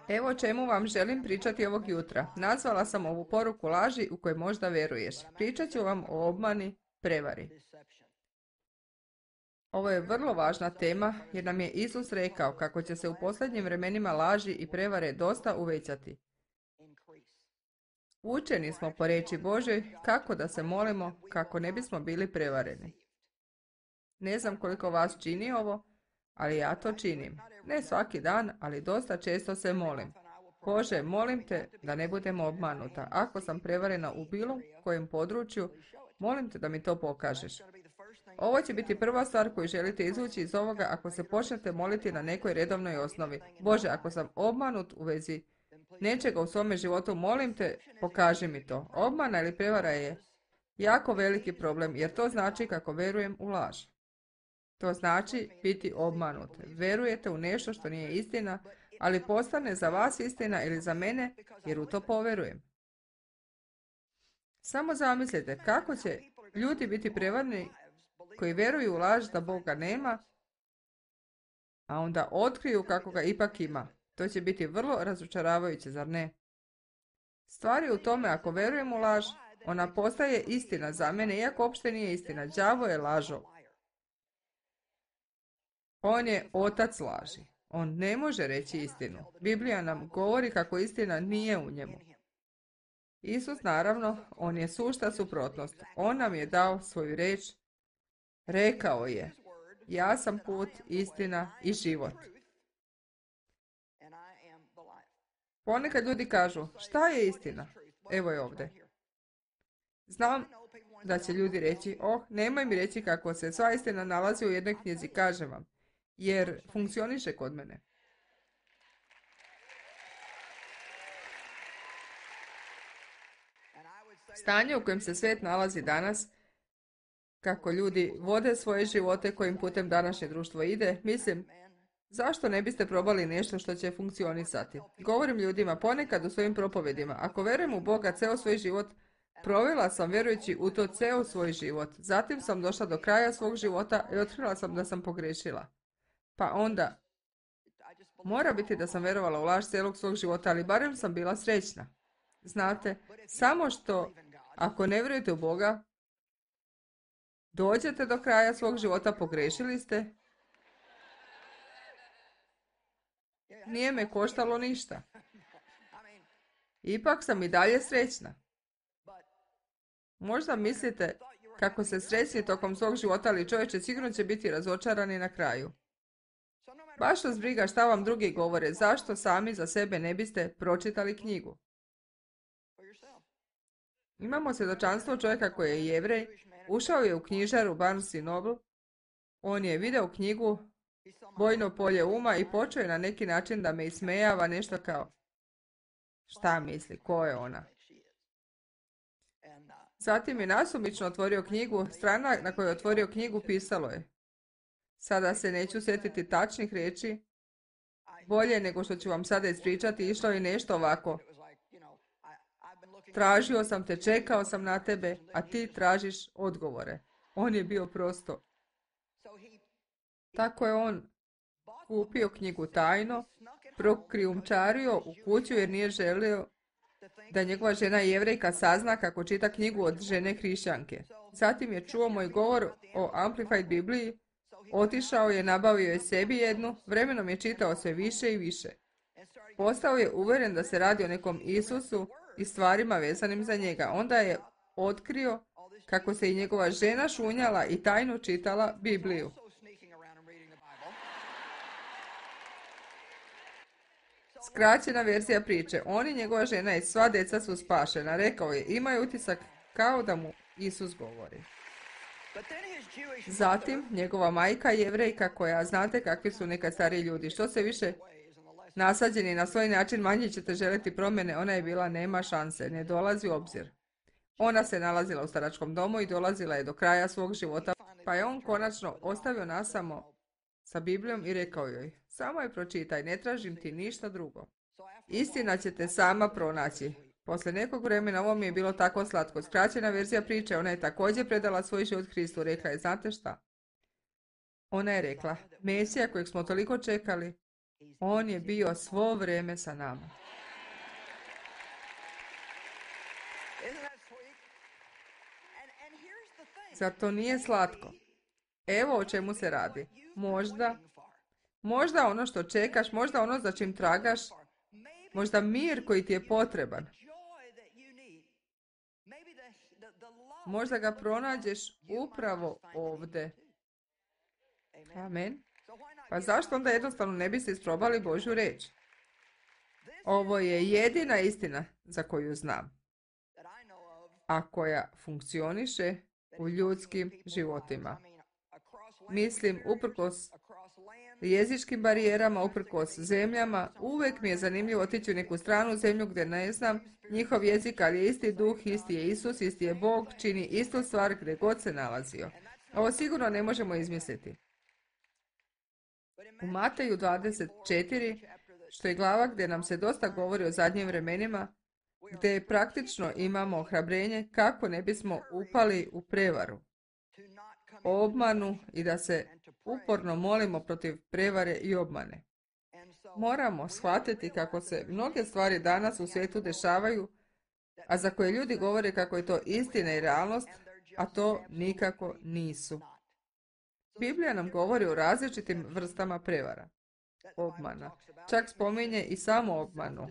Evo o čemu vam želim pričati ovog jutra. Nazvala sam ovu poruku laži u koje možda veruješ. Pričat ću vam o obmani, prevari. Ovo je vrlo važna tema jer nam je Isus rekao kako će se u posljednjim vremenima laži i prevare dosta uvećati. Učeni smo po riječi Božoj kako da se molimo kako ne bismo bili prevareni. Ne znam koliko vas čini ovo, ali ja to činim. Ne svaki dan, ali dosta često se molim. Bože, molim te da ne budem obmanuta. Ako sam prevarena u bilo kojem području, molim te da mi to pokažeš. Ovo će biti prva stvar koju želite izvući iz ovoga ako se počnete moliti na nekoj redovnoj osnovi. Bože, ako sam obmanut u vezi nečega u svome životu, molim te, pokaži mi to. Obmana ili prevara je jako veliki problem, jer to znači kako verujem u laž. To znači biti obmanut. Verujete u nešto što nije istina, ali postane za vas istina ili za mene, jer u to poverujem. Samo zamislite kako će ljudi biti prevarni koji veruju u laž da Boga nema, a onda otkriju kako ga ipak ima. To će biti vrlo razočaravajuće, zar ne? Stvar je u tome, ako verujem u laž, ona postaje istina za mene, iako uopšte nije istina. Đavo je lažov. On je otac laži. On ne može reći istinu. Biblija nam govori kako istina nije u njemu. Isus, naravno, on je sušta suprotnost. On nam je dao svoju riječ. Rekao je, ja sam put, istina i život. Ponekad ljudi kažu, šta je istina? Evo je ovdje. Znam da će ljudi reći, nemoj mi reći kako se sva istina nalazi u jednoj knjizi, kažem vam, jer funkcioniše kod mene. Stanje u kojem se svijet nalazi danas, kako ljudi vode svoje živote kojim putem današnje društvo ide, mislim, zašto ne biste probali nešto što će funkcionisati? Govorim ljudima ponekad u svojim propovedima, ako verujem u Boga ceo svoj život, provela sam vjerujući u to ceo svoj život. Zatim sam došla do kraja svog života i otkrila sam da sam pogrešila. Pa onda, mora biti da sam vjerovala u laž cijelog svog života, ali barem sam bila srećna. Znate, samo što ako ne vjerujete u Boga, dođete do kraja svog života, pogrešili ste, nije me koštalo ništa. Ipak sam i dalje srećna. Možda mislite kako se srećni tokom svog života, ali čovječe sigurno će biti razočarani na kraju. Baš vas briga šta vam drugi govore, zašto sami za sebe ne biste pročitali knjigu. Imamo svjedočanstvo čovjeka koji je Jevrej, ušao je u knjižaru Barnes i Noble, on je video knjigu Bojno polje uma i počeo je na neki način da me ismejava nešto kao šta misli, ko je ona. Zatim je nasumično otvorio knjigu, strana na kojoj je otvorio knjigu pisalo je: sada se neću sjetiti tačnih riječi, bolje nego što ću vam sada ispričati, išlo je nešto ovako. Tražio sam te, čekao sam na tebe, a ti tražiš odgovore. On je bio prosto. Tako je on kupio knjigu tajno, prokrijumčario u kuću jer nije želio da njegova žena Jevrejka sazna kako čita knjigu od žene hrišćanke. Zatim je čuo moj govor o Amplified Bibliji, otišao je, nabavio je sebi jednu, vremenom je čitao sve više i više. Postao je uvjeren da se radi o nekom Isusu i stvarima vezanim za njega. Onda je otkrio kako se i njegova žena šunjala i tajno čitala Bibliju. Skraćena verzija priče. On i njegova žena i sva djeca su spašena. Rekao je, imaju utisak kao da mu Isus govori. Zatim, njegova majka Jevrejka, koja znate kakvi su nekad stari ljudi, što se više nasađeni na svoj način, manje ćete želiti promjene, ona je bila nema šanse, ne dolazi u obzir. Ona se nalazila u staračkom domu i dolazila je do kraja svog života, pa je on konačno ostavio nas samo sa Biblijom i rekao joj, samo je pročitaj, ne tražim ti ništa drugo. Istina ćete sama pronaći. Poslije nekog vremena ovo mi je bilo tako slatko. Skraćena verzija priče, ona je također predala svoj život Hristu. Rekla je, znate šta? Ona je rekla, Mesija kojeg smo toliko čekali, On je bio svo vrijeme sa nama. Zar to nije slatko? Evo o čemu se radi. Možda ono što čekaš, možda ono za čim tragaš, možda mir koji ti je potreban. Možda ga pronađeš upravo ovdje. Amen. Pa zašto onda jednostavno ne biste isprobali Božju riječ? Ovo je jedina istina za koju znam, a koja funkcioniše u ljudskim životima. Mislim, uprkos jezičkim barijerama, uprkos zemljama, uvijek mi je zanimljivo otići u neku stranu zemlju gdje ne znam njihov jezik, ali je isti duh, isti je Isus, isti je Bog, čini istu stvar gdje god se nalazio. Ovo sigurno ne možemo izmisliti. U Mateju 24, što je glava gdje nam se dosta govori o zadnjim vremenima, gdje praktično imamo ohrabrenje kako ne bismo upali u prevaru, obmanu i da se uporno molimo protiv prevare i obmane. Moramo shvatiti kako se mnoge stvari danas u svijetu dešavaju, a za koje ljudi govore kako je to istina i realnost, a to nikako nisu. Biblija nam govori o različitim vrstama prevara, obmana. Čak spominje i samo obmanu.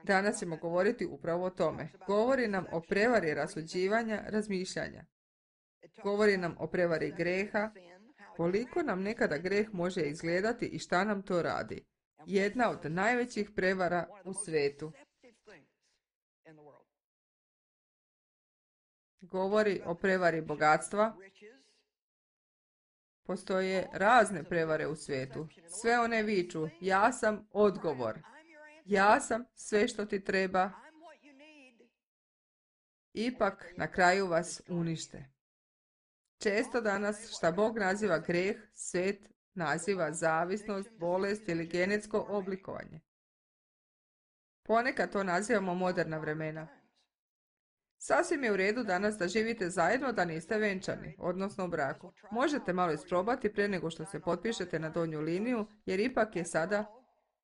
Danas ćemo govoriti upravo o tome. Govori nam o prevari rasuđivanja, razmišljanja. Govori nam o prevari greha, koliko nam nekada greh može izgledati i šta nam to radi. Jedna od najvećih prevara u svijetu. Govori o prevari bogatstva. Postoje razne prevare u svijetu. Sve one viču, ja sam odgovor. Ja sam sve što ti treba. Ipak na kraju vas unište. Često danas šta Bog naziva greh, svijet naziva zavisnost, bolest ili genetsko oblikovanje. Ponekad to nazivamo moderna vremena. Sasvim je u redu danas da živite zajedno da niste venčani, odnosno u braku. Možete malo isprobati prije nego što se potpišete na donju liniju, jer ipak je sada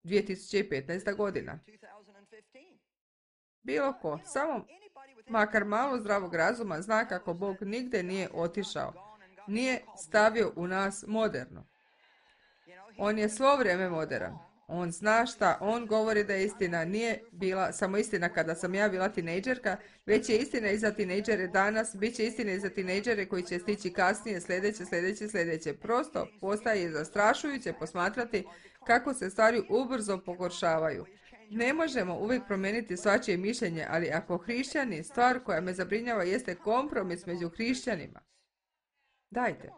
2015. godina. Bilo ko, samo makar malo zdravog razuma zna kako Bog nigdje nije otišao, nije stavio u nas moderno. On je svo vrijeme moderan. On zna šta, on govori da je istina. Nije bila samo istina kada sam ja bila tinejdžerka, već je istina i za tinejdžere danas, bit će istina i za tinejdžere koji će stići kasnije, sljedeće. Prosto postaje zastrašujuće posmatrati kako se stvari ubrzo pogoršavaju. Ne možemo uvijek promijeniti svačije mišljenje, ali ako hrišćani, stvar koja me zabrinjava jeste kompromis među hrišćanima. Dajte.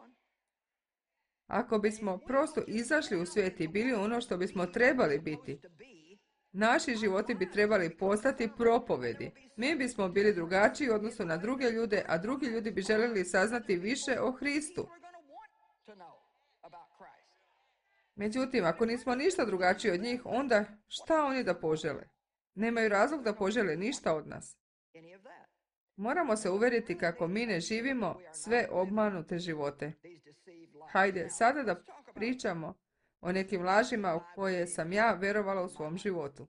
Ako bismo prosto izašli u svijet i bili ono što bismo trebali biti, naši životi bi trebali postati propovedi. Mi bismo bili drugačiji u odnosu na druge ljude, a drugi ljudi bi željeli saznati više o Hristu. Međutim, ako nismo ništa drugačiji od njih, onda šta oni da požele? Nemaju razlog da požele ništa od nas. Moramo se uvjeriti kako mi ne živimo sve obmanute živote. Hajde, sada da pričamo o nekim lažima u koje sam ja vjerovala u svom životu.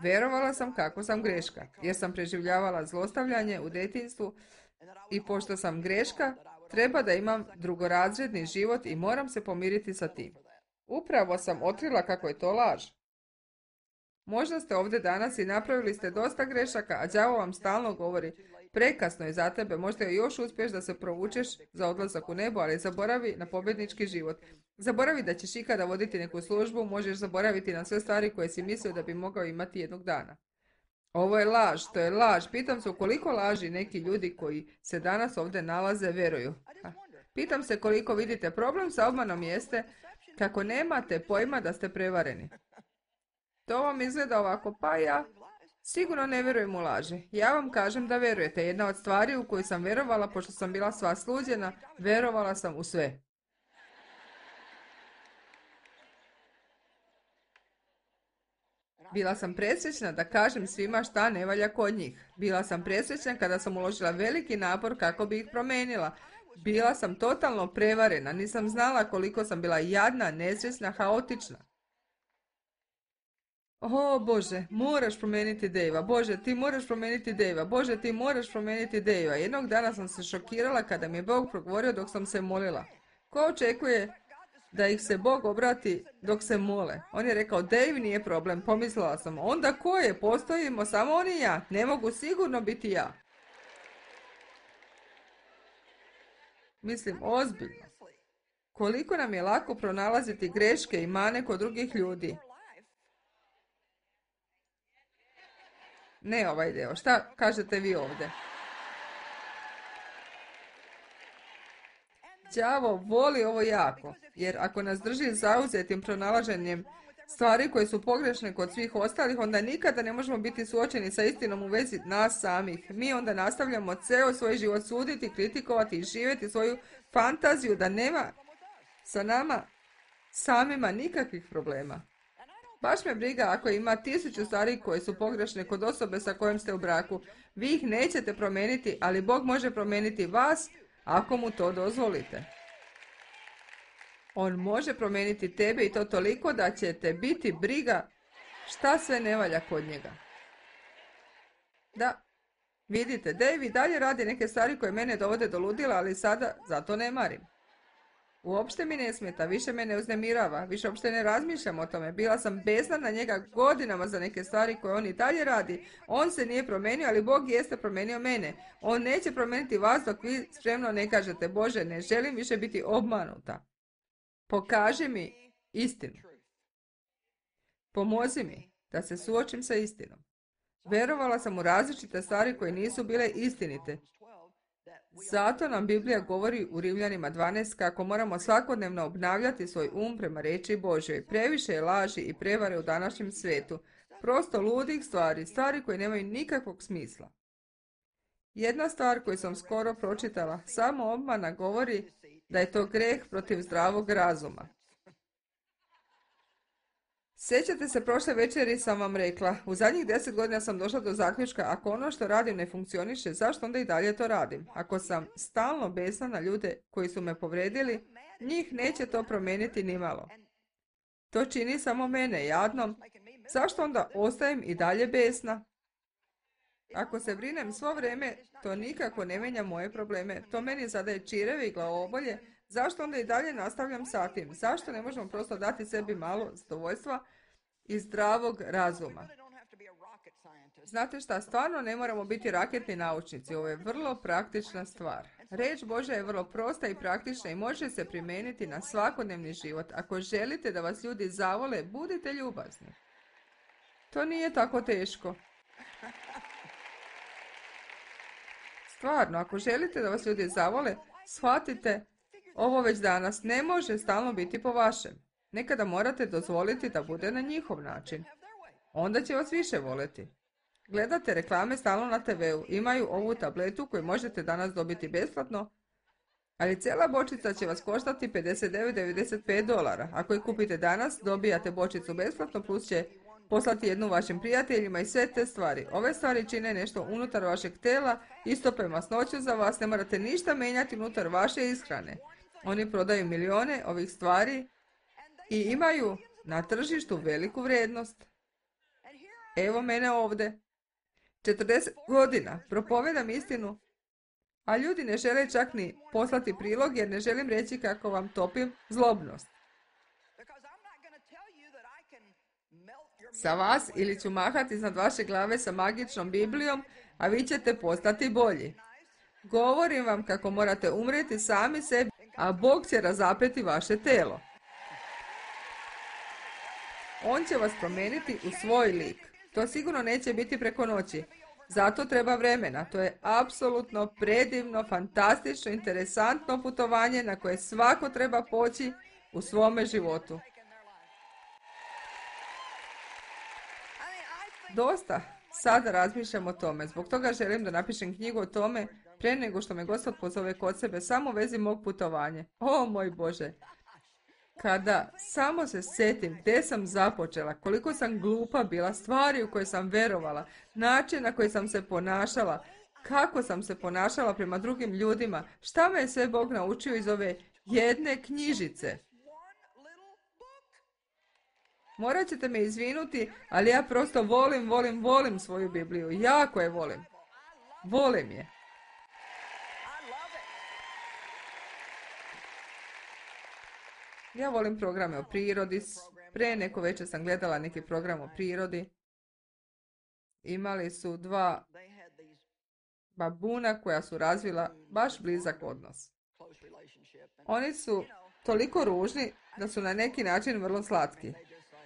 Vjerovala sam kako sam greška, jer sam preživljavala zlostavljanje u djetinjstvu i pošto sam greška, treba da imam drugorazredni život i moram se pomiriti sa tim. Upravo sam otkrila kako je to laž. Možda ste ovdje danas i napravili ste dosta grešaka, a đavo vam stalno govori, prekasno je za tebe, možda još uspješ da se provučeš za odlazak u nebo, ali zaboravi na pobjednički život. Zaboravi da ćeš ikada voditi neku službu, možeš zaboraviti na sve stvari koje si mislio da bi mogao imati jednog dana. Ovo je laž, to je laž. Pitam se u koliko laži neki ljudi koji se danas ovdje nalaze vjeruju. Pitam se koliko vidite problem sa obmanom jeste kako nemate pojma da ste prevareni. To vam izgleda ovako, pa ja sigurno ne vjerujem u laži. Ja vam kažem da vjerujete. Jedna od stvari u koju sam vjerovala, pošto sam bila sva sluđena, vjerovala sam u sve. Bila sam presrećna da kažem svima šta ne valja kod njih. Bila sam presrećna kada sam uložila veliki napor kako bi ih promijenila. Bila sam totalno prevarena, nisam znala koliko sam bila jadna, nesvjesna, haotična. O Bože, moraš promijeniti Dejva. Bože, ti moraš promijeniti Dejva. Bože, ti moraš promijeniti Dejva. Jednog dana sam se šokirala kada mi je Bog progovorio dok sam se molila. Ko očekuje da ih se Bog obrati dok se mole? On je rekao, Dave nije problem. Pomislila sam, onda ko je? Postojimo samo on i ja. Ne mogu sigurno biti ja. Mislim, ozbiljno. Koliko nam je lako pronalaziti greške i mane kod drugih ljudi. Ne ovaj deo. Šta kažete vi ovdje? Đavo voli ovo jako, jer ako nas drži zauzetim pronalaženjem stvari koje su pogrešne kod svih ostalih, onda nikada ne možemo biti suočeni sa istinom u vezi nas samih. Mi onda nastavljamo ceo svoj život suditi, kritikovati i živjeti svoju fantaziju da nema sa nama samima nikakvih problema. Baš me briga ako ima 1000 stvari koje su pogrešne kod osobe sa kojom ste u braku. Vi ih nećete promijeniti, ali Bog može promijeniti vas ako mu to dozvolite. On može promijeniti tebe i to toliko da će te biti briga šta sve ne valja kod njega. Da, vidite, Dave i dalje radi neke stvari koje mene dovode do ludila, ali sada zato ne marim. Uopšte mi ne smeta, više me ne uznemirava, više uopšte ne razmišljam o tome. Bila sam besna na njega godinama za neke stvari koje on i dalje radi. On se nije promijenio, ali Bog jeste promijenio mene. On neće promijeniti vas dok vi spremno ne kažete, Bože, ne želim više biti obmanuta. Pokaži mi istinu. Pomozi mi da se suočim sa istinom. Verovala sam u različite stvari koje nisu bile istinite. Zato nam Biblija govori u Rimljanima 12 kako moramo svakodnevno obnavljati svoj prema riječi Božjoj. Previše je laži i prevare u današnjem svijetu. Prosto ludih stvari, stvari koje nemaju nikakvog smisla. Jedna stvar koju sam skoro pročitala, samo obmana govori da je to greh protiv zdravog razuma. Sjećate se, prošle večeri sam vam rekla, u zadnjih 10 godina sam došla do zaključka, ako ono što radim ne funkcioniše, zašto onda i dalje to radim? Ako sam stalno besna na ljude koji su me povredili, njih neće to promijeniti nimalo. To čini samo mene jadnom, zašto onda ostajem i dalje besna? Ako se brinem svo vrijeme, to nikako ne mijenja moje probleme, to meni zadaje čireve i glavobolje, zašto onda i dalje nastavljam sa tim? Zašto ne možemo prosto dati sebi malo zadovoljstva i zdravog razuma? Znate šta, stvarno ne moramo biti raketni naučnici, ovo je vrlo praktična stvar. Riječ Božja je vrlo prosta i praktična i može se primijeniti na svakodnevni život. Ako želite da vas ljudi zavole, budite ljubazni. To nije tako teško. Stvarno, ako želite da vas ljudi zavole, shvatite ovo već danas, ne može stalno biti po vašem. Nekada morate dozvoliti da bude na njihov način. Onda će vas više voleti. Gledate reklame stalno na TV-u, imaju ovu tabletu koju možete danas dobiti besplatno, ali cijela bočica će vas koštati $59,95. Ako je kupite danas, dobijate bočicu besplatno, plus će poslati jednu vašim prijateljima i sve te stvari. Ove stvari čine nešto unutar vašeg tela, istope masnoću za vas, ne morate ništa mijenjati unutar vaše ishrane. Oni prodaju milijone ovih stvari i imaju na tržištu veliku vrijednost. Evo mene ovdje. 40 godina propovedam istinu, a ljudi ne žele čak ni poslati prilog jer ne želim reći kako vam topim zlobnost. Sa vas ili ću mahati iznad vaše glave sa magičnom Biblijom, a vi ćete postati bolji. Govorim vam kako morate umrijeti sami sebi, a Bog će razapeti vaše telo. On će vas promijeniti u svoj lik. To sigurno neće biti preko noći. Zato treba vremena. To je apsolutno predivno, fantastično, interesantno putovanje na koje svako treba poći u svome životu. Dosta sada razmišljam o tome. Zbog toga želim da napišem knjigu o tome prije nego što me Gospod pozove kod sebe samo u vezi mog putovanja. O moj Bože! Kada samo se sjetim gdje sam započela, koliko sam glupa bila, stvari u koje sam verovala, način na koji sam se ponašala, kako sam se ponašala prema drugim ljudima, šta me je sve Bog naučio iz ove jedne knjižice. Morat ćete me izvinuti, ali ja prosto volim svoju Bibliju. Jako je volim. Volim je. Ja volim programe o prirodi. Pre neko večer sam gledala neki program o prirodi. Imali su dva babuna koja su razvila baš blizak odnos. Oni su toliko ružni da su na neki način vrlo slatki.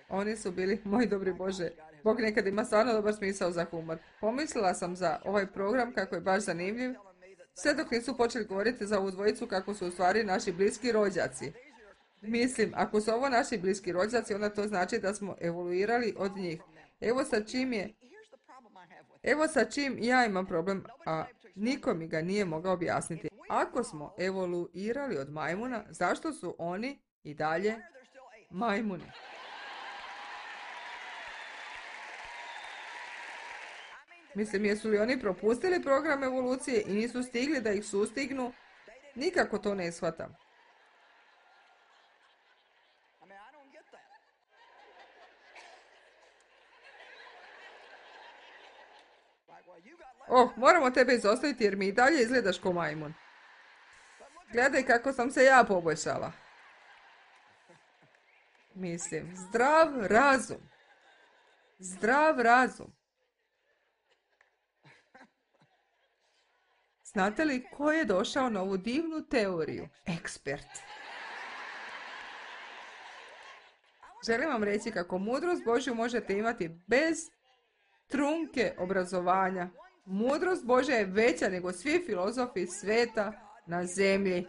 Oni su bili, moj dobri Bože, Bog nekad ima stvarno dobar smisao za humor. Pomislila sam za ovaj program kako je baš zanimljiv, sve dok nisu počeli govoriti za ovu dvojicu kako su u stvari naši bliski rođaci. Mislim, ako su ovo naši bliski rođaci, onda to znači da smo evoluirali od njih. Evo sa čim ja imam problem, a niko mi ga nije mogao objasniti. Ako smo evoluirali od majmuna, zašto su oni i dalje majmuni? Mislim, jesu li oni propustili program evolucije i nisu stigli da ih sustignu? Nikako to ne shvatam. Moramo tebe izostaviti jer mi i dalje izgledaš ko majmun. Gledaj kako sam se ja poboljšala. Mislim, zdrav razum. Zdrav razum. Znate li ko je došao na ovu divnu teoriju? Ekspert. Želim vam reći kako mudrost Božju možete imati bez trunke obrazovanja. Mudrost Božja je veća nego svi filozofi sveta na zemlji.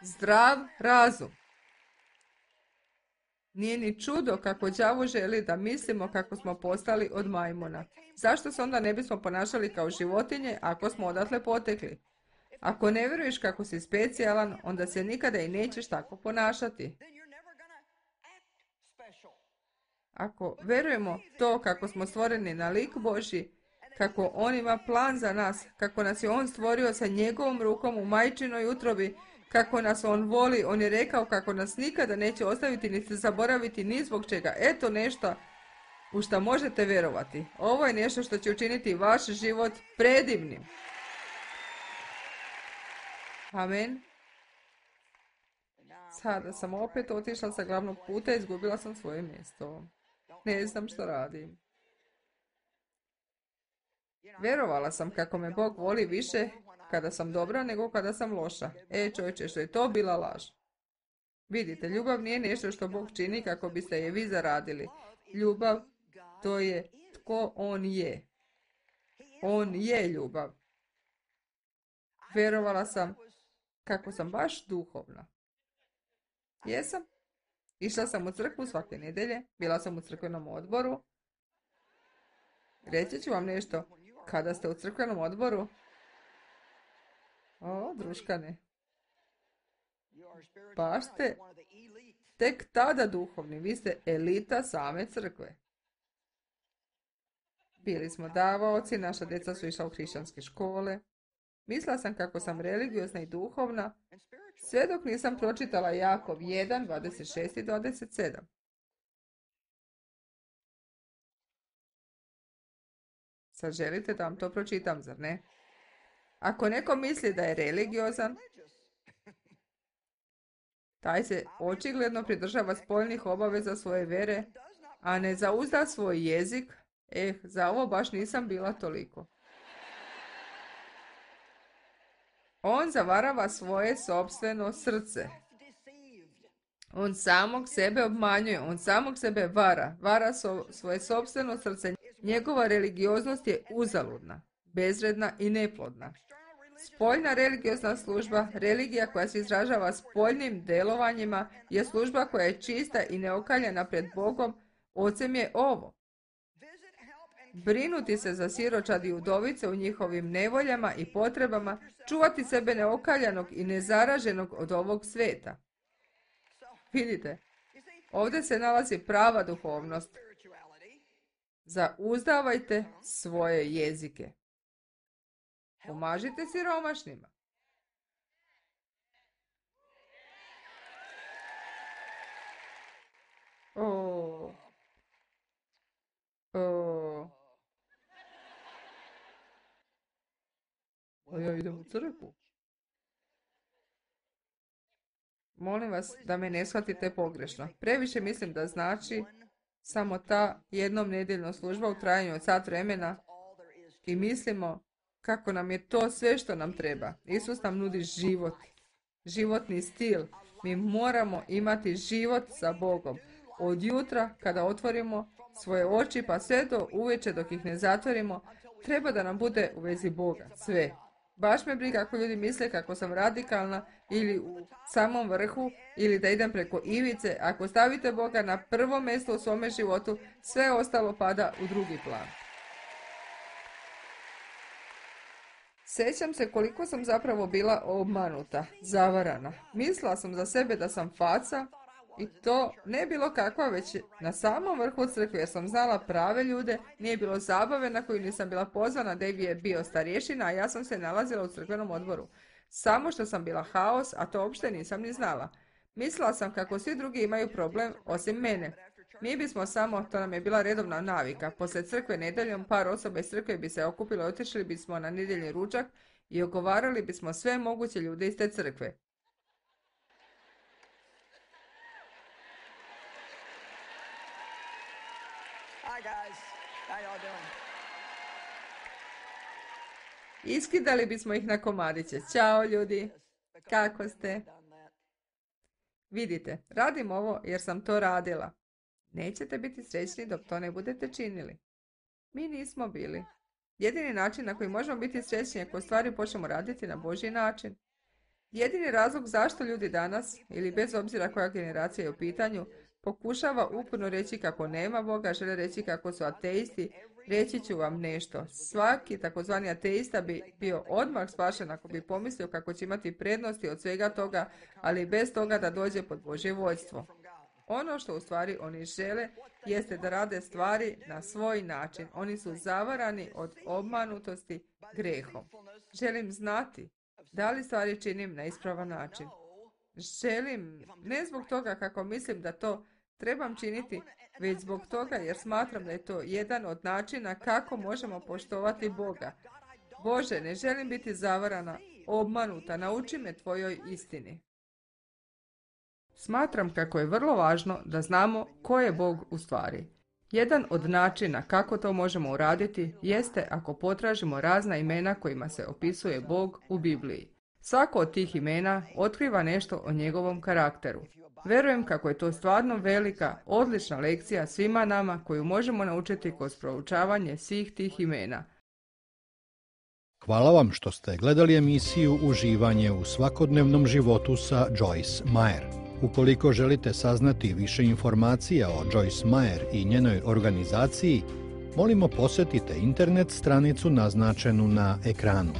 Zdrav razum. Nije ni čudo kako đavo želi da mislimo kako smo postali od majmuna. Zašto se onda ne bismo ponašali kao životinje ako smo odatle potekli? Ako ne vjeruješ kako si specijalan, onda se nikada i nećeš tako ponašati. Ako vjerujemo to kako smo stvoreni na lik Božji, kako On ima plan za nas, kako nas je On stvorio sa njegovom rukom u majčinoj utrobi, kako nas On voli, On je rekao kako nas nikada neće ostaviti niti zaboraviti ni zbog čega. Eto nešto u što možete vjerovati. Ovo je nešto što će učiniti vaš život predivnim. Amen. Sada sam opet otišla sa glavnog puta i izgubila sam svoje mjesto. Ne znam što radim. Vjerovala sam kako me Bog voli više kada sam dobra nego kada sam loša. Čovječe, što je to bila laž. Vidite, ljubav nije nešto što Bog čini kako biste je vi zaradili. Ljubav, to je tko On je. On je ljubav. Vjerovala sam kako sam baš duhovna. Jesam. Išla sam u crkvu svake nedjelje, bila sam u crkvenom odboru. Reći ću vam nešto. Kada ste u crkvenom odboru? Druškane. Baš ste tek tada duhovni. Vi ste elita same crkve. Bili smo davaoci, naša djeca su išla u hrišćanske škole. Mislila sam kako sam religiozna i duhovna, sve dok nisam pročitala Jakov 1, 26 i 27. Sad želite da vam to pročitam, zar ne? Ako neko misli da je religiozan, taj se očigledno pridržava spoljnih obaveza svoje vere, a ne zauzda svoj jezik. Za ovo baš nisam bila toliko. On zavarava svoje sopstveno srce. On samog sebe obmanjuje, on samog sebe vara svoje sopstveno srce. Njegova religioznost je uzaludna, bezvredna i neplodna. Spoljna religiozna služba, religija koja se izražava spoljnim delovanjima, je služba koja je čista i neokaljena pred Bogom. Ocem je ovo: brinuti se za siročad i udovice u njihovim nevoljama i potrebama, čuvati sebe neokaljanog i nezaraženog od ovog sveta. Vidite, Ovdje se nalazi prava duhovnost. Zauzdavajte svoje jezike. Pomažite siromašnima. Ja idem u crkvu. Molim vas da me ne shvatite pogrešno. Previše mislim da znači samo ta jednom nedjeljna služba u trajanju od sat vremena i mislimo kako nam je to sve što nam treba. Isus nam nudi život, životni stil. Mi moramo imati život sa Bogom. Od jutra kada otvorimo svoje oči pa sve do uveče dok ih ne zatvorimo, treba da nam bude u vezi Boga. Sve. Baš me briga ako ljudi misle kako sam radikalna ili u samom vrhu ili da idem preko ivice. Ako stavite Boga na prvo mjesto u svome životu, sve ostalo pada u drugi plan. Sjećam se koliko sam zapravo bila obmanuta, zavarana. Mislila sam za sebe da sam faca i to ne bilo kakva, već na samom vrhu crkve jer sam znala prave ljude, nije bilo zabave na koju nisam bila pozvana, Dave je bio starješina, a ja sam se nalazila u crkvenom odboru. Samo što sam bila haos, a to uopšte nisam ni znala. Mislila sam kako svi drugi imaju problem osim mene. Mi bismo samo, to nam je bila redovna navika, poslije crkve nedjeljom par osoba iz crkve bi se okupilo i otišli bismo na nedjeljni ručak i ogovarali bismo sve moguće ljude iz te crkve. Hi guys, how y'all doing? Iskidali bismo ih na komadiće. Ćao ljudi, kako ste? Vidite, radim ovo jer sam to radila. Nećete biti srećni dok to ne budete činili. Mi nismo bili. Jedini način na koji možemo biti srećni je ako stvari počnemo raditi na Božji način. Jedini razlog zašto ljudi danas, ili bez obzira koja generacija je u pitanju, pokušava uporno reći kako nema Boga, žele reći kako su ateisti, reći ću vam nešto. Svaki takozvani ateista bi bio odmah spašen ako bi pomislio kako će imati prednosti od svega toga, ali bez toga da dođe pod Božje vođstvo. Ono što u stvari oni žele jeste da rade stvari na svoj način. Oni su zavarani od obmanutosti grehom. Želim znati da li stvari činim na ispravan način. Želim, ne zbog toga kako mislim da to trebam činiti, već zbog toga jer smatram da je to jedan od načina kako možemo poštovati Boga. Bože, ne želim biti zavarana, obmanuta, nauči me tvojoj istini. Smatram kako je vrlo važno da znamo ko je Bog u stvari. Jedan od načina kako to možemo uraditi jeste ako potražimo razna imena kojima se opisuje Bog u Bibliji. Svako od tih imena otkriva nešto o njegovom karakteru. Verujem kako je to stvarno velika, odlična lekcija svima nama koju možemo naučiti kroz proučavanje svih tih imena. Hvala vam što ste gledali emisiju Uživanje u svakodnevnom životu sa Joyce Meyer. Ukoliko želite saznati više informacija o Joyce Meyer i njenoj organizaciji, molimo posjetite internet stranicu naznačenu na ekranu.